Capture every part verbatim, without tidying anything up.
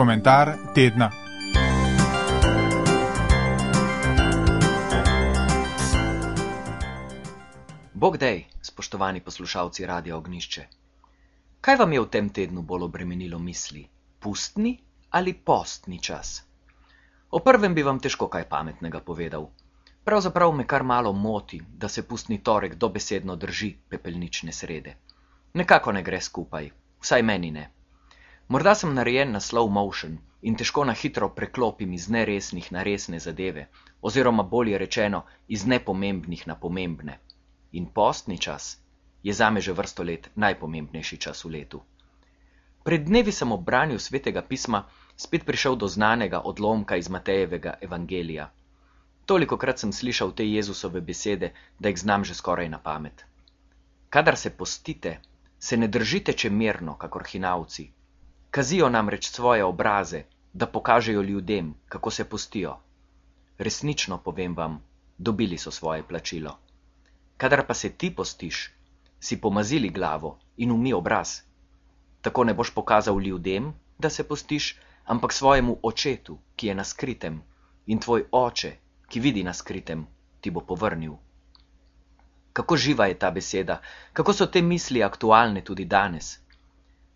Komentar tedna. Bog dej, spoštovani poslušalci Radia Ognjišče. Kaj vam je v tem tednu bolj obremenilo misli? Pustni ali postni čas? O prvem bi vam težko kaj pametnega povedal. Pravzaprav me kar malo moti, da se pustni torek dobesedno drži pepelnične srede. Nekako ne gre skupaj, vsaj meni ne. Morda sem narejen na slow motion in težko na hitro preklopim iz neresnih na resne zadeve, oziroma bolje rečeno, iz nepomembnih na pomembne. In postni čas je zame že vrsto let najpomembnejši čas v letu. Pred dnevi sem ob branju svetega pisma spet prišel do znanega odlomka iz Matejevega evangelija. Tolikokrat sem slišal te Jezusove besede, da jih znam že skoraj na pamet. Kadar se postite, se ne držite čemerno, kakor hinavci. Kazijo namreč svoje obraze, da pokažejo ljudem, kako se postijo. Resnično povem vam, dobili so svoje plačilo. Kadar pa se ti postiš, si pomazili glavo in umij obraz. Tako ne boš pokazal ljudem, da se postiš, ampak svojemu očetu, ki je na skritem, in tvoj oče, ki vidi na skritem, ti bo povrnil. Kako živa je ta beseda, kako so te misli aktualne tudi danes.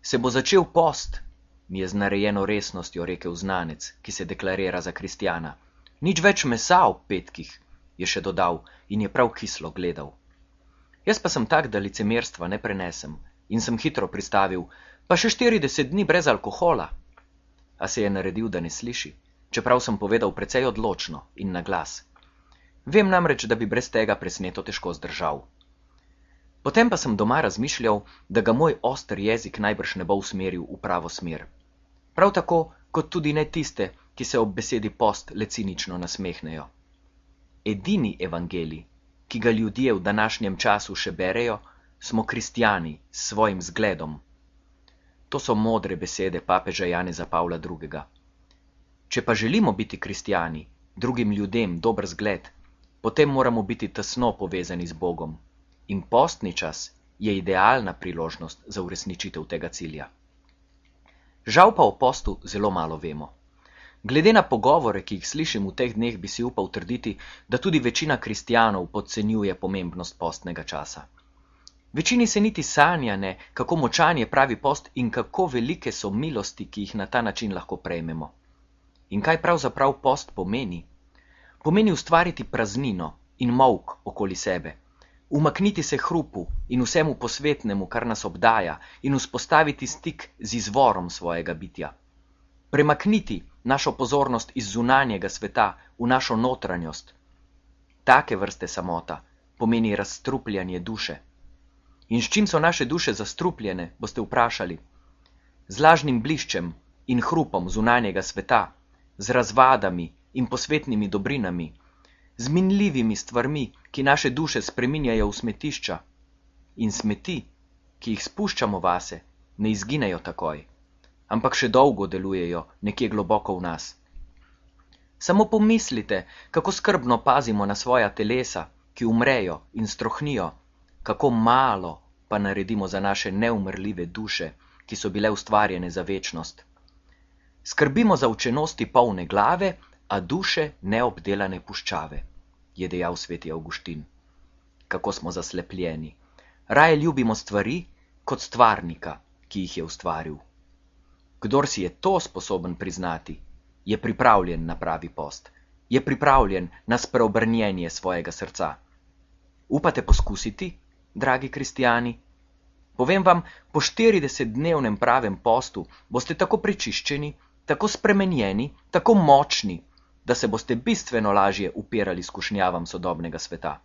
Se bo začel post, mi je z narejeno resnostjo rekel znanec, ki se deklarira za kristjana. Nič več mesa ob petkih, je še dodal in je prav kislo gledal. Jaz pa sem tak, da licemerstva ne prenesem in sem hitro pristavil, pa še štirideset dni brez alkohola. A se je naredil, da ne sliši, čeprav sem povedal precej odločno in na glas. Vem namreč, da bi brez tega presneto težko zdržal. Potem pa sem doma razmišljal, da ga moj oster jezik najbrž ne bo usmeril v pravo smer. Prav tako, kot tudi ne tiste, ki se ob besedi post le cinično nasmehnejo. Edini evangelij, ki ga ljudje v današnjem času še berejo, smo kristjani s svojim zgledom. To so modre besede papeža Janeza Pavla drugega. Če pa želimo biti kristjani, drugim ljudem dober zgled, potem moramo biti tesno povezani z Bogom. In postni čas je idealna priložnost za uresničitev tega cilja. Žal pa o postu zelo malo vemo. Glede na pogovore, ki jih slišim v teh dneh, bi si upal trditi, da tudi večina kristjanov podcenjuje pomembnost postnega časa. Večini se niti sanja ne, kako močan je pravi post in kako velike so milosti, ki jih na ta način lahko prejmemo. In kaj pravzaprav post pomeni? Pomeni ustvariti praznino in molk okoli sebe. Umakniti se hrupu in vsemu posvetnemu, kar nas obdaja, in vzpostaviti stik z izvorom svojega bitja. Premakniti našo pozornost iz zunanjega sveta v našo notranjost. Take vrste samota pomeni razstrupljanje duše. In s čim so naše duše zastrupljene, boste vprašali? Z lažnim bliščem in hrupom zunanjega sveta, z razvadami in posvetnimi dobrinami, z minljivimi stvarmi, ki naše duše spreminjajo v smetišča. In smeti, ki jih spuščamo vase, ne izginejo takoj, ampak še dolgo delujejo nekje globoko v nas. Samo pomislite, kako skrbno pazimo na svoja telesa, ki umrejo in strohnijo, kako malo pa naredimo za naše neumrljive duše, ki so bile ustvarjene za večnost. Skrbimo za učenosti polne glave, a duše neobdelane puščave, je dejal sveti Avguštin. Kako smo zaslepljeni. Raje ljubimo stvari kot stvarnika, ki jih je ustvaril. Kdor si je to sposoben priznati, je pripravljen na pravi post, je pripravljen na spreobrnjenje svojega srca. Upate poskusiti, dragi kristjani? Povem vam, po štiridesetdnevnem pravem postu boste tako prečiščeni, tako spremenjeni, tako močni, da se boste bistveno lažje upirali skušnjavam sodobnega sveta.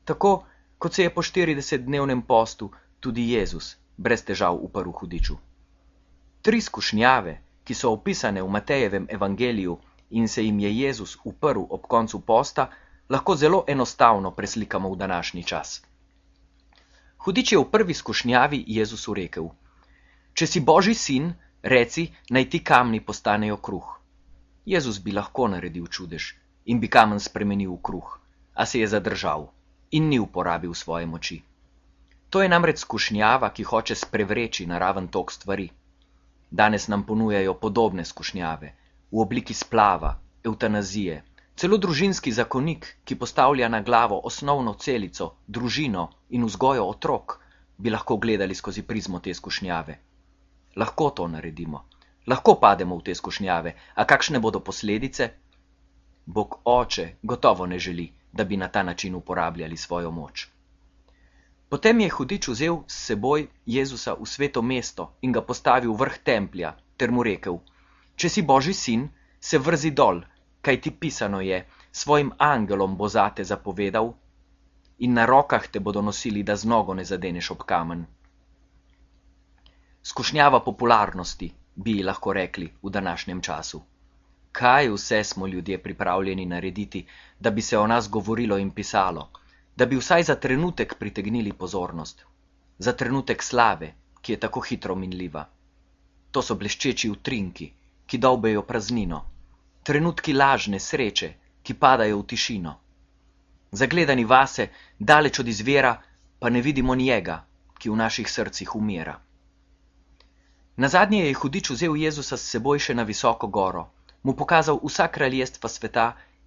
Tako, kot se je po štiridesetdnevnem postu tudi Jezus brez težav uprl hudiču. Tri skušnjave, ki so opisane v Matejevem evangeliju in se jim je Jezus uprl ob koncu posta, lahko zelo enostavno preslikamo v današnji čas. Hudič je v prvi skušnjavi Jezusu rekel: Če si Božji sin, reci, naj ti kamni postanejo kruh. Jezus bi lahko naredil čudež in bi kamen spremenil v kruh, a se je zadržal in ni uporabil svoje moči. To je namreč skušnjava, ki hoče sprevreči naraven tok stvari. Danes nam ponujajo podobne skušnjave, v obliki splava, evtanazije, celo družinski zakonik, ki postavlja na glavo osnovno celico, družino in vzgojo otrok, bi lahko gledali skozi prizmo te skušnjave. Lahko to naredimo, lahko pademo v te skušnjave, a kakšne bodo posledice? Bog Oče gotovo ne želi, da bi na ta način uporabljali svojo moč. Potem je hudič vzel s seboj Jezusa v sveto mesto in ga postavil v vrh templja, ter mu rekel: Če si Božji sin, se vrzi dol, kaj ti pisano je, svojim angelom bo zate zapovedal in na rokah te bodo nosili, da z nogo ne zadeneš ob kamen. Skušnjava popularnosti, bi ji lahko rekli v današnjem času. Kaj vse smo ljudje pripravljeni narediti, da bi se o nas govorilo in pisalo, da bi vsaj za trenutek pritegnili pozornost, za trenutek slave, ki je tako hitro minljiva. To so bleščeči utrinki, ki dolbejo praznino, trenutki lažne sreče, ki padajo v tišino. Zagledani vase, daleč od izvira, pa ne vidimo njega, ki v naših srcih umira. Nazadnje je hudič vzel Jezusa s seboj še na visoko goro, mu pokazal vsa kraljestva sveta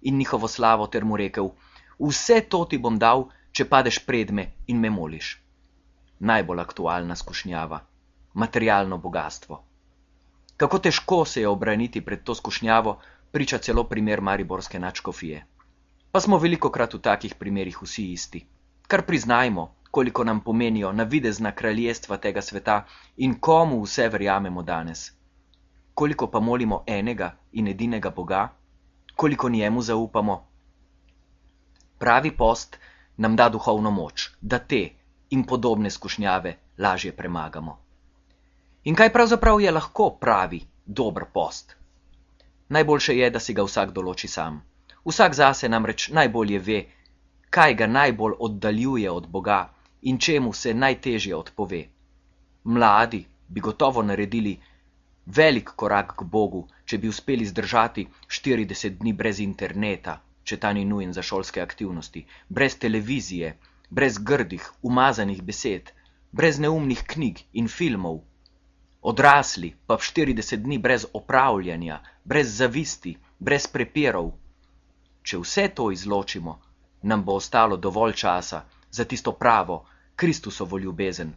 in njihovo slavo ter mu rekel: Vse to ti bom dal, če padeš pred me in me moliš. Najbolj aktualna skušnjava, materialno bogastvo. Kako težko se je obraniti pred to skušnjavo, priča celo primer mariborske nadškofije. Pa smo velikokrat v takih primerih vsi isti. Kar priznajmo, koliko nam pomenijo navidezna kraljestva tega sveta in komu vse verjamemo danes. Koliko pa molimo enega in edinega Boga, koliko njemu zaupamo. Pravi post nam da duhovno moč, da te in podobne skušnjave lažje premagamo. In kaj pravzaprav je lahko pravi, dober post? Najboljše je, da si ga vsak določi sam. Vsak zase namreč najbolje ve, kaj ga najbolj oddaljuje od Boga in čemu se najtežje odpove. Mladi bi gotovo naredili velik korak k Bogu, če bi uspeli zdržati štirideset dni brez interneta, če ta ni nujen za šolske aktivnosti, brez televizije, brez grdih, umazanih besed, brez neumnih knjig in filmov. Odrasli pa v štirideset dni brez opravljanja, brez zavisti, brez prepirov. Če vse to izločimo, nam bo ostalo dovolj časa za tisto pravo, Kristusovo ljubezen,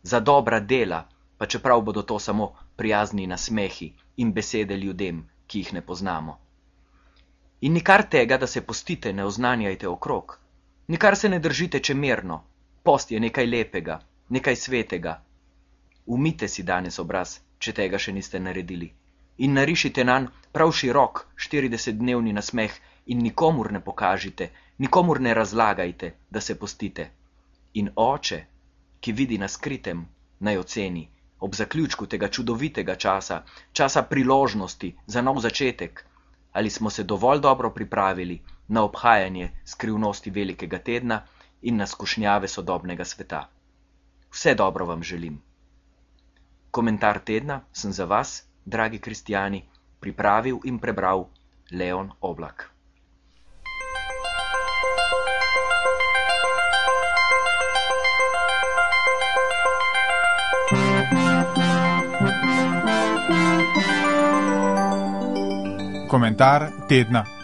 za dobra dela, pa čeprav bodo to samo prijazni nasmehi in besede ljudem, ki jih ne poznamo. In nikar tega, da se postite, ne oznanjajte okrog. Nikar se ne držite čemerno. Post je nekaj lepega, nekaj svetega. Umijte si danes obraz, če tega še niste naredili. In narišite nanj prav širok štiridesetdnevni nasmeh in nikomur ne pokažite, nikomur ne razlagajte, da se postite. In Oče, ki vidi na skritem, naj oceni, ob zaključku tega čudovitega časa, časa priložnosti za nov začetek, ali smo se dovolj dobro pripravili na obhajanje skrivnosti velikega tedna in na skušnjave sodobnega sveta. Vse dobro vam želim. Komentar tedna sem za vas, dragi kristjani, pripravil in prebral Leon Oblak. Komentar tedna.